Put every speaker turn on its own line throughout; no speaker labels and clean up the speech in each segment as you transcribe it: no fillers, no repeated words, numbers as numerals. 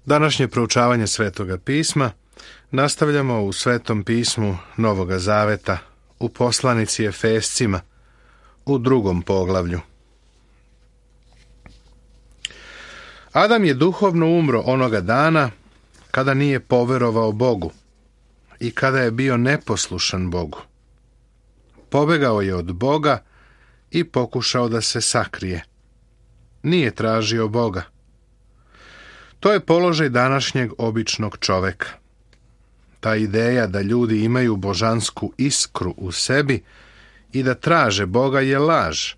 Današnje proučavanje Svetoga pisma nastavljamo u Svetom pismu Novoga Zaveta, u poslanici Efescima, u 2. poglavlju. Adam je duhovno umro onoga dana kada nije poverovao Bogu i kada je bio neposlušan Bogu. Pobegao je od Boga i pokušao da se sakrije. Nije tražio Boga. To je položaj današnjeg običnog čoveka. Ta ideja da ljudi imaju božansku iskru u sebi i da traže Boga je laž.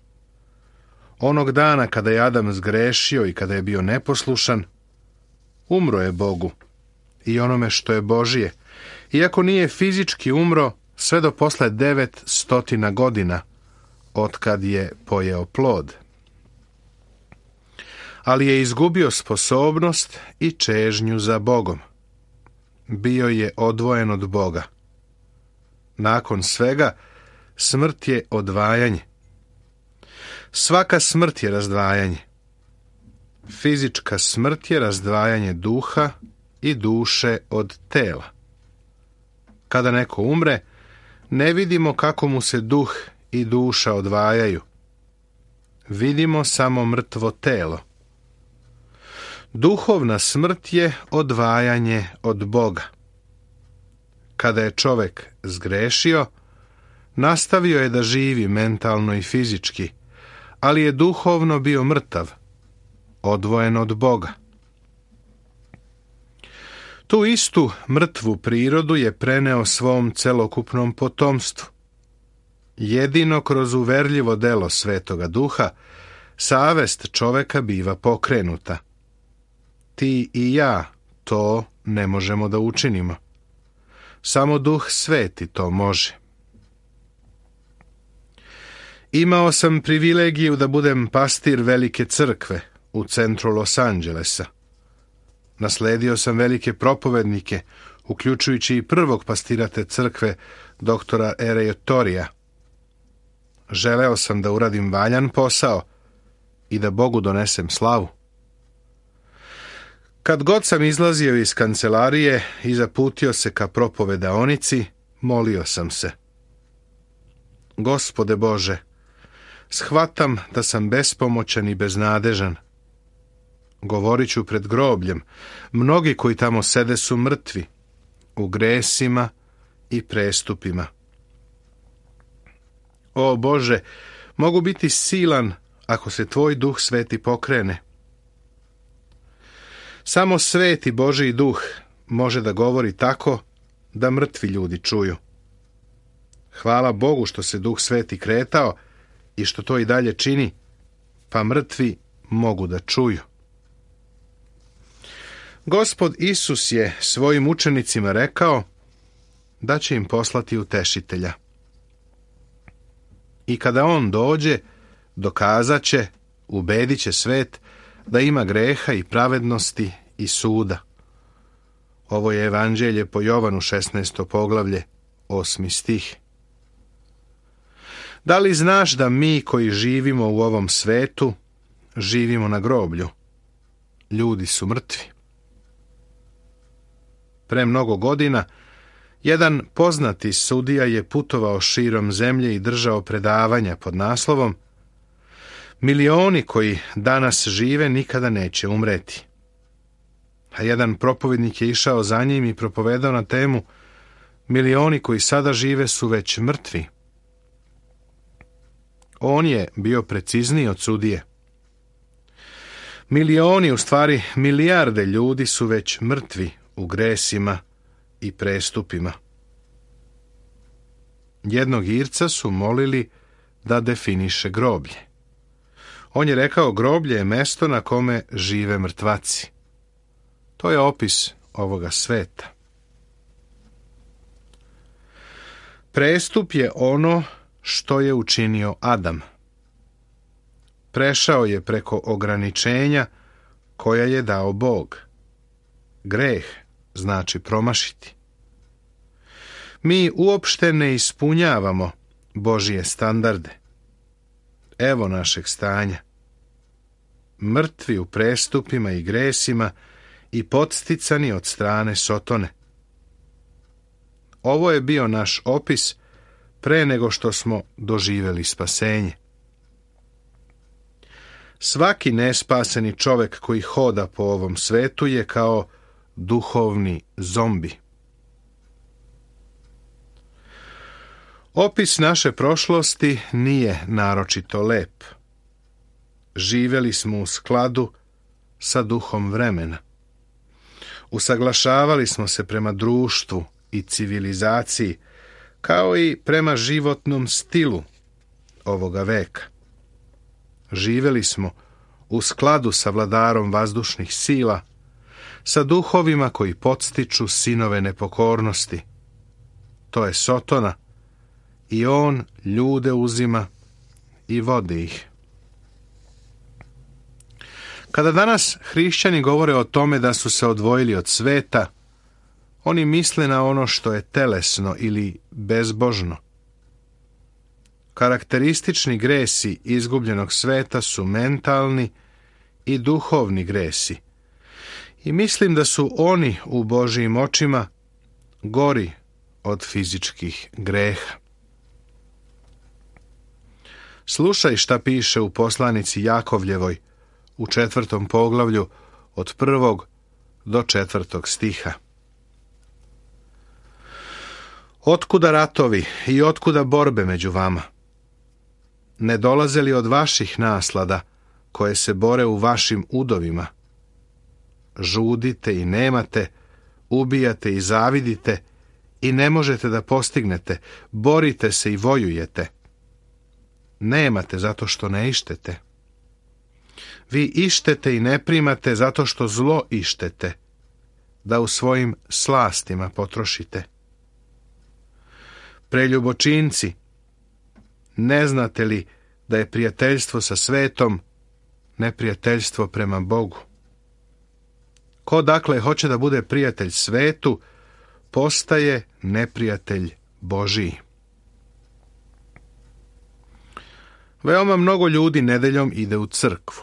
Onog dana kada je Adam zgrešio i kada je bio neposlušan, umro je Bogu i onome što je Božije, iako nije fizički umro sve do posle 900 godina, otkad je pojeo plod. Ali je izgubio sposobnost i čežnju za Bogom. Bio je odvojen od Boga. Nakon svega, smrt je odvajanje. Svaka smrt je razdvajanje. Fizička smrt je razdvajanje duha i duše od tela. Kada neko umre, ne vidimo kako mu se duh i duša odvajaju. Vidimo samo mrtvo telo. Duhovna smrt je odvajanje od Boga. Kada je čovjek zgrešio, nastavio je da živi mentalno i fizički, ali je duhovno bio mrtav, odvojen od Boga. Tu istu mrtvu prirodu je preneo svom celokupnom potomstvu. Jedino kroz uverljivo delo Svetoga Duha savest čoveka biva pokrenuta. Ti i ja to ne možemo da učinimo. Samo Duh Sveti to može. Imao sam privilegiju da budem pastir velike crkve u centru Los Angelesa. Nasledio sam velike propovednike, uključujući i prvog pastira te crkve, doktora R.A. Torija. Želeo sam da uradim valjan posao i da Bogu donesem slavu. Kad god sam izlazio iz kancelarije i zaputio se ka propovedaonici, molio sam se. Gospode Bože, shvatam da sam bespomoćan i beznadežan. Govorit ću pred grobljem. Mnogi koji tamo sede su mrtvi, u gresima i prestupima. O Bože, mogu biti silan ako se Tvoj Duh Sveti pokrene. Samo Sveti Božji Duh može da govori tako da mrtvi ljudi čuju. Hvala Bogu što se Duh Sveti kretao i što to i dalje čini, pa mrtvi mogu da čuju. Gospod Isus je svojim učenicima rekao da će im poslati utešitelja. I kada on dođe, dokazat će, ubedit će svet da ima greha i pravednosti i suda. Ovo je Evanđelje po Jovanu 16. poglavlje, 8. stih. Da li znaš da mi koji živimo u ovom svetu, živimo na groblju? Ljudi su mrtvi. Pre mnogo godina, jedan poznati sudija je putovao širom zemlje i držao predavanja pod naslovom Milioni koji danas žive nikada neće umreti. A jedan propovednik je išao za njim i propovedao na temu Milioni koji sada žive su već mrtvi. On je bio precizniji od sudije. Milioni, u stvari milijarde ljudi su već mrtvi u gresima i prestupima. Jednog Irca su molili da definiše groblje. On je rekao, groblje je mesto na kome žive mrtvaci. To je opis ovoga sveta. Prestup je ono što je učinio Adam. Prešao je preko ograničenja koja je dao Bog. Greh znači promašiti. Mi uopšte ne ispunjavamo Božije standarde. Evo našeg stanja. Mrtvi u prestupima i gresima i podsticani od strane Sotone. Ovo je bio naš opis pre nego što smo doživjeli spasenje. Svaki nespaseni čovjek koji hoda po ovom svetu je kao duhovni zombi. Opis naše prošlosti nije naročito lep. Živjeli smo u skladu sa duhom vremena. Usaglašavali smo se prema društvu i civilizaciji, kao i prema životnom stilu ovoga veka. Živjeli smo u skladu sa vladarom vazdušnih sila, sa duhovima koji podstiču sinove nepokornosti. To je Sotona, i on ljude uzima i vodi ih. Kada danas hrišćani govore o tome da su se odvojili od sveta, oni misle na ono što je telesno ili bezbožno. Karakteristični gresi izgubljenog sveta su mentalni i duhovni gresi. I mislim da su oni u Božijim očima gori od fizičkih greha. Slušaj šta piše u poslanici Jakovljevoj u 4. poglavlju od 1. do 4. stiha. Otkuda ratovi i otkuda borbe među vama? Ne dolaze li od vaših naslada koje se bore u vašim udovima? Žudite i nemate, ubijate i zavidite i ne možete da postignete, borite se i vojujete. Nemate zato što ne ištete. Vi ištete i ne primate zato što zlo ištete, da u svojim slastima potrošite. Preljubočinci, ne znate li da je prijateljstvo sa svetom neprijateljstvo prema Bogu? Ko dakle hoće da bude prijatelj svetu, postaje neprijatelj Božiji. Veoma mnogo ljudi nedeljom ide u crkvu.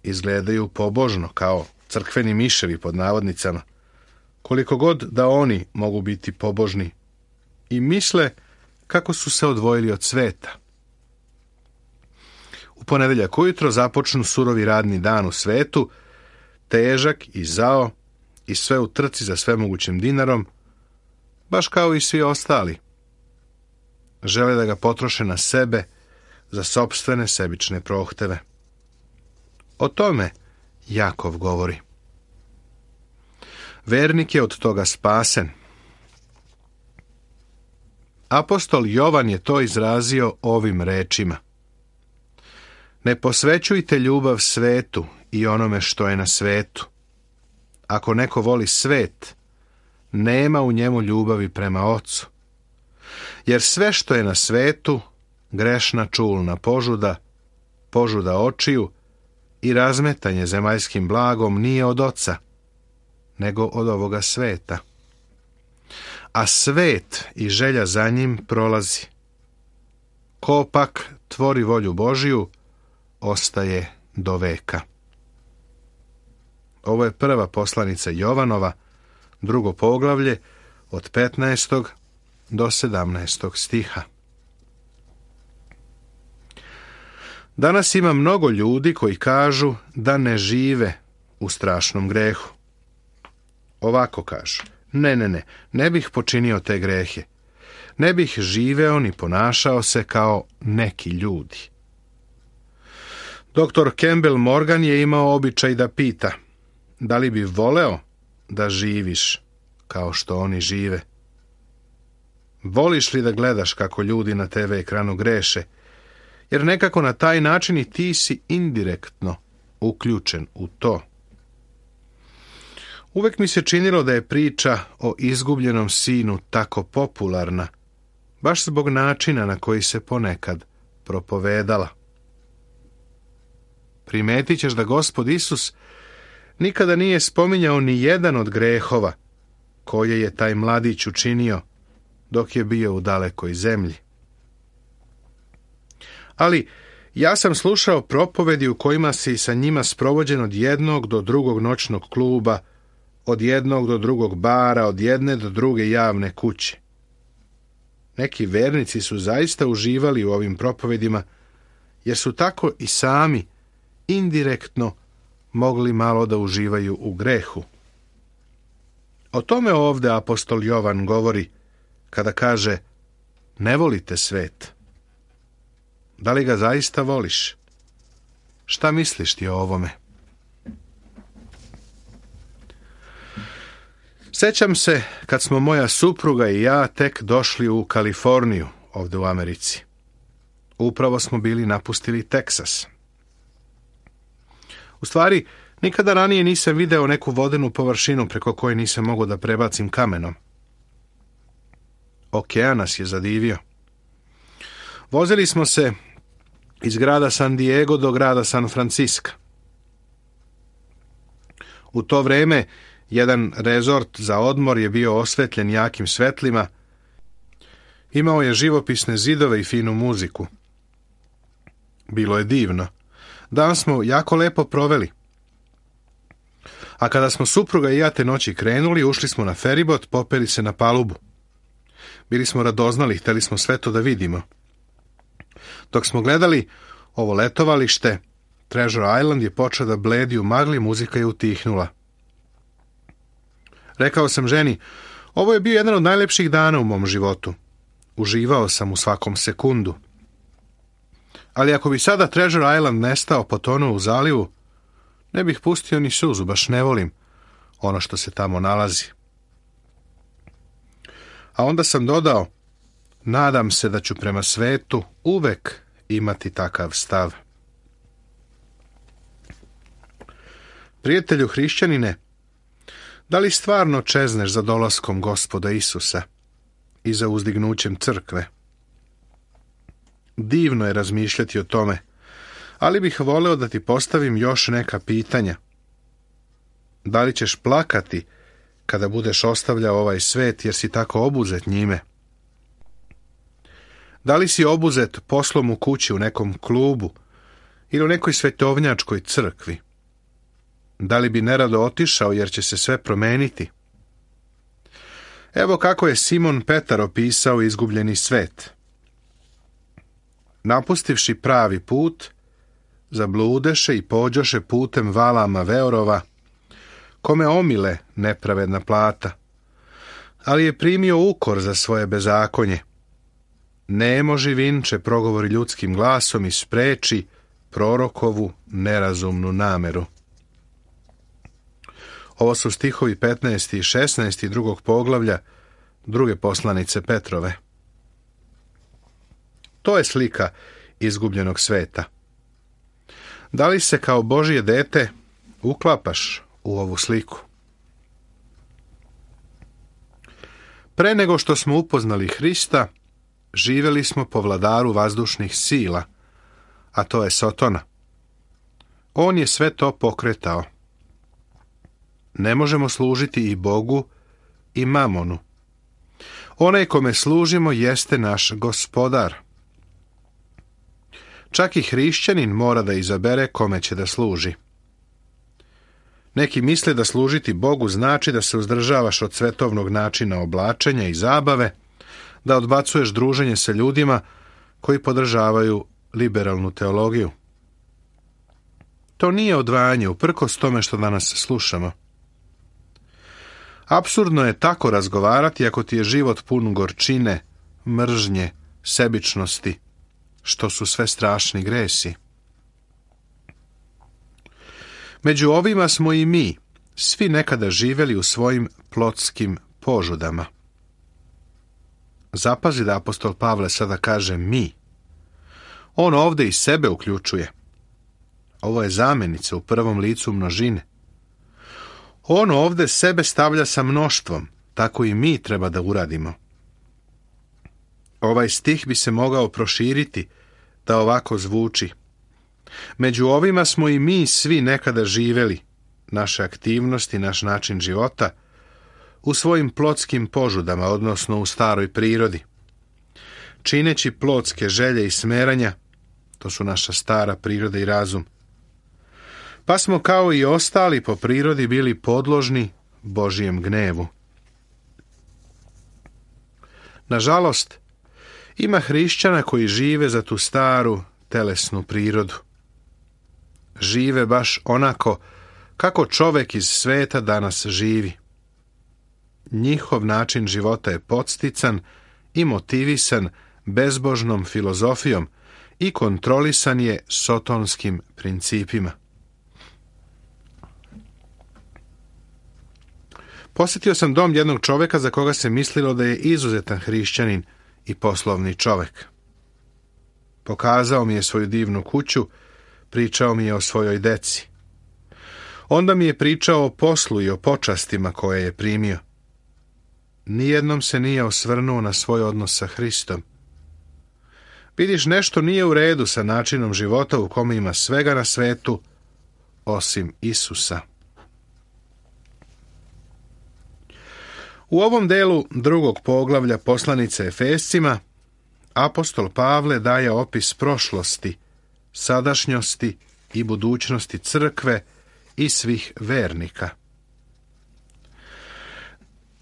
Izgledaju pobožno, kao crkveni miševi pod navodnicama, koliko god da oni mogu biti pobožni, i misle kako su se odvojili od sveta. U ponedeljak ujutro započnu surovi radni dan u svetu, težak i zao i sve u trci za svemogućim dinarom, baš kao i svi ostali. Žele da ga potroše na sebe, za sopstvene sebične prohteve. O tome Jakov govori. Vernik je od toga spasen. Apostol Jovan je to izrazio ovim rečima. Ne posvećujte ljubav svetu i onome što je na svetu. Ako neko voli svet, nema u njemu ljubavi prema Ocu. Jer sve što je na svetu, grešna čulna požuda, požuda očiju i razmetanje zemaljskim blagom nije od Oca, nego od ovoga sveta. A svet i želja za njim prolazi. Ko pak tvori volju Božiju, ostaje do veka. Ovo je prva poslanica Jovanova, 2. poglavlje, od 15. do 17. stiha. Danas ima mnogo ljudi koji kažu da ne žive u strašnom grehu. Ovako kažu: ne bih počinio te grehe. Ne bih živeo ni ponašao se kao neki ljudi. Dr. Campbell Morgan je imao običaj da pita: da li bi voleo da živiš kao što oni žive? Voliš li da gledaš kako ljudi na TV ekranu greše? Jer nekako na taj način i ti si indirektno uključen u to. Uvek mi se činilo da je priča o izgubljenom sinu tako popularna, baš zbog načina na koji se ponekad propovedala. Primetit ćeš da Gospod Isus nikada nije spominjao ni jedan od grehova koje je taj mladić učinio dok je bio u dalekoj zemlji. Ali ja sam slušao propovedi u kojima si sa njima sprovođen od jednog do drugog noćnog kluba od jednog do drugog bara, od jedne do druge javne kuće. Neki vernici su zaista uživali u ovim propovedima, jer su tako i sami indirektno mogli malo da uživaju u grehu. O tome ovdje apostol Jovan govori kada kaže: ne volite svet. Da li ga zaista voliš? Šta misliš ti o ovome? Sećam se kad smo moja supruga i ja tek došli u Kaliforniju, ovdje u Americi. Upravo smo bili napustili Teksas. U stvari, nikada ranije nisam video neku vodenu površinu preko koje nisam mogao da prebacim kamenom. Okean nas je zadivio. Vozili smo se iz grada San Diego do grada San Francisco. U to vreme jedan rezort za odmor je bio osvetljen jakim svetlima. Imao je živopisne zidove i finu muziku. Bilo je divno. Dan smo jako lepo proveli. A kada smo supruga i ja te noći krenuli, ušli smo na feribot, popeli se na palubu. Bili smo radoznali, hteli smo sve to da vidimo. Dok smo gledali ovo letovalište, Treasure Island je počeo da bledi u magli, muzika je utihnula. Rekao sam ženi, ovo je bio jedan od najlepših dana u mom životu. Uživao sam u svakom sekundu. Ali ako bi sada Treasure Island nestao, potonuo u zalivu, ne bih pustio ni suzu, baš ne volim ono što se tamo nalazi. A onda sam dodao, nadam se da ću prema svetu uvek imati takav stav. Prijatelju hrišćanine, da li stvarno čezneš za dolaskom Gospoda Isusa i za uzdignućem crkve? Divno je razmišljati o tome, ali bih voleo da ti postavim još neka pitanja. Da li ćeš plakati kada budeš ostavljao ovaj svet jer si tako obuzet njime? Da li si obuzet poslom u kući, u nekom klubu ili u nekoj svetovnjačkoj crkvi? Da li bi nerado otišao jer će se sve promeniti? Evo kako je Simon Petar opisao izgubljeni svet. Napustivši pravi put, zabludeše i pođoše putem Valama Veorova, kome omile nepravedna plata, ali je primio ukor za svoje bezakonje. Nemo živinče progovori ljudskim glasom i spreči prorokovu nerazumnu nameru. Ovo su stihovi 15. i 16. drugog poglavlja druge poslanice Petrove. To je slika izgubljenog sveta. Da li se kao Božje dete uklapaš u ovu sliku? Pre nego što smo upoznali Hrista, živjeli smo po vladaru vazdušnih sila, a to je Sotona. On je sve to pokretao. Ne možemo služiti i Bogu i mamonu. Onaj kome služimo jeste naš Gospodar. Čak i hrišćanin mora da izabere kome će da služi. Neki misle da služiti Bogu znači da se uzdržavaš od svetovnog načina oblačenja i zabave, da odbacuješ druženje sa ljudima koji podržavaju liberalnu teologiju. To nije odvajanje uprkos tome što danas slušamo. Apsurdno je tako razgovarati ako ti je život pun gorčine, mržnje, sebičnosti, što su sve strašni gresi. Među ovima smo i mi, svi nekada živjeli u svojim plotskim požudama. Zapazi da apostol Pavle sada kaže mi. On ovdje i sebe uključuje. Ovo je zamenica u prvom licu množine. On ovdje sebe stavlja sa mnoštvom, tako i mi treba da uradimo. Ovaj stih bi se mogao proširiti da ovako zvuči. Među ovima smo i mi svi nekada živjeli, naše aktivnosti, naš način života, u svojim plotskim požudama, odnosno u staroj prirodi. Čineći plotske želje i smeranja, to su naša stara priroda i razum. Pa smo kao i ostali po prirodi bili podložni Božijem gnevu. Nažalost, ima hrišćana koji žive za tu staru telesnu prirodu. Žive baš onako kako čovek iz sveta danas živi. Njihov način života je podstican i motivisan bezbožnom filozofijom i kontrolisan je sotonskim principima. Posjetio sam dom jednog čoveka za koga se mislilo da je izuzetan hrišćanin i poslovni čovek. Pokazao mi je svoju divnu kuću, pričao mi je o svojoj deci. Onda mi je pričao o poslu i o počastima koje je primio. Nijednom se nije osvrnuo na svoj odnos sa Hristom. Vidiš, nešto nije u redu sa načinom života u kome ima svega na svetu, osim Isusa. U ovom delu drugog poglavlja poslanice Efescima, apostol Pavle daje opis prošlosti, sadašnjosti i budućnosti crkve i svih vernika.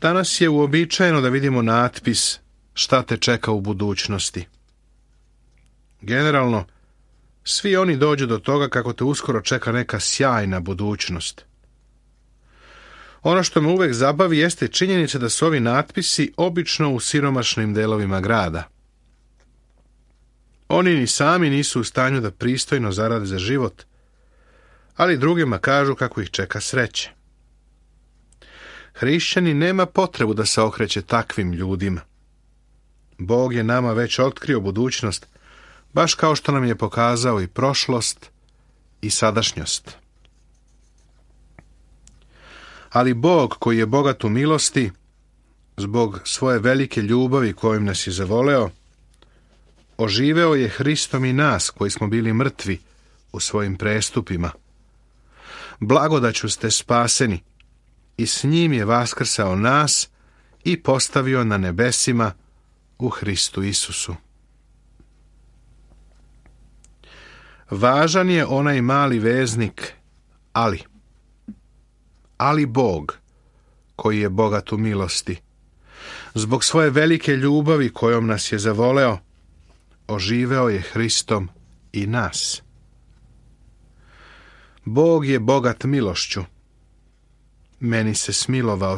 Danas je uobičajeno da vidimo natpis šta te čeka u budućnosti. Generalno, svi oni dođu do toga kako te uskoro čeka neka sjajna budućnost. Ono što me uvek zabavi jeste činjenica da su ovi natpisi obično u siromašnim delovima grada. Oni ni sami nisu u stanju da pristojno zarade za život, ali drugima kažu kako ih čeka sreće. Hrišćani nema potrebu da se okreće takvim ljudima. Bog je nama već otkrio budućnost, baš kao što nam je pokazao i prošlost i sadašnjost. Ali Bog, koji je bogat u milosti, zbog svoje velike ljubavi kojom nas je zavoleo, oživeo je Hristom i nas, koji smo bili mrtvi u svojim prestupima. Blagodaću ste spaseni i s njim je vaskrsao nas i postavio na nebesima u Hristu Isusu. Važan je onaj mali veznik ali. Ali Bog, koji je bogat u milosti, zbog svoje velike ljubavi kojom nas je zavoleo, oživeo je Hristom i nas. Bog je bogat milošću. Meni se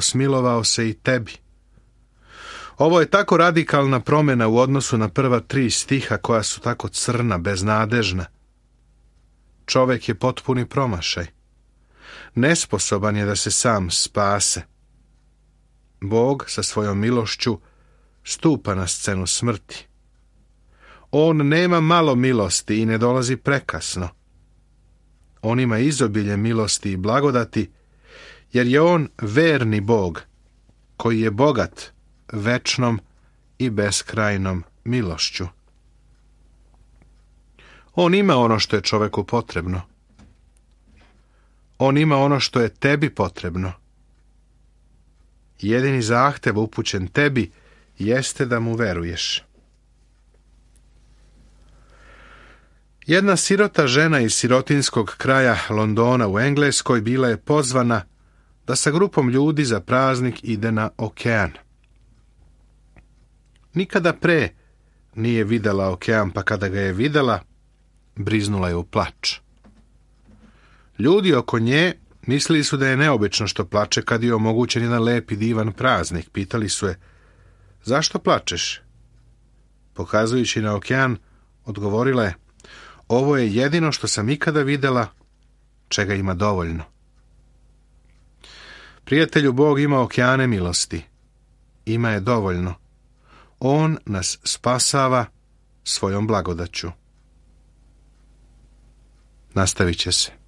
smilovao se i tebi. Ovo je tako radikalna promjena u odnosu na prva 3 stiha koja su tako crna, beznadežna. Čovek je potpuni promašaj. Nesposoban je da se sam spase. Bog sa svojom milošću stupa na scenu smrti. On nema malo milosti i ne dolazi prekasno. On ima izobilje milosti i blagodati, jer je on verni Bog, koji je bogat večnom i beskrajnom milošću. On ima ono što je čoveku potrebno. On ima ono što je tebi potrebno. Jedini zahtev upućen tebi jeste da mu veruješ. Jedna sirota žena iz sirotinskog kraja Londona u Engleskoj bila je pozvana da sa grupom ljudi za praznik ide na okean. Nikada pre nije videla okean, pa kada ga je videla, briznula je u plač. Ljudi oko nje mislili su da je neobično što plače kad je omogućen jedan lep i divan praznik. Pitali su je, zašto plačeš? Pokazujući na okean, odgovorila je, ovo je jedino što sam ikada videla, čega ima dovoljno. Prijatelju, Bog ima okeane milosti. Ima je dovoljno. On nas spasava svojom blagodaću. Nastavit će se.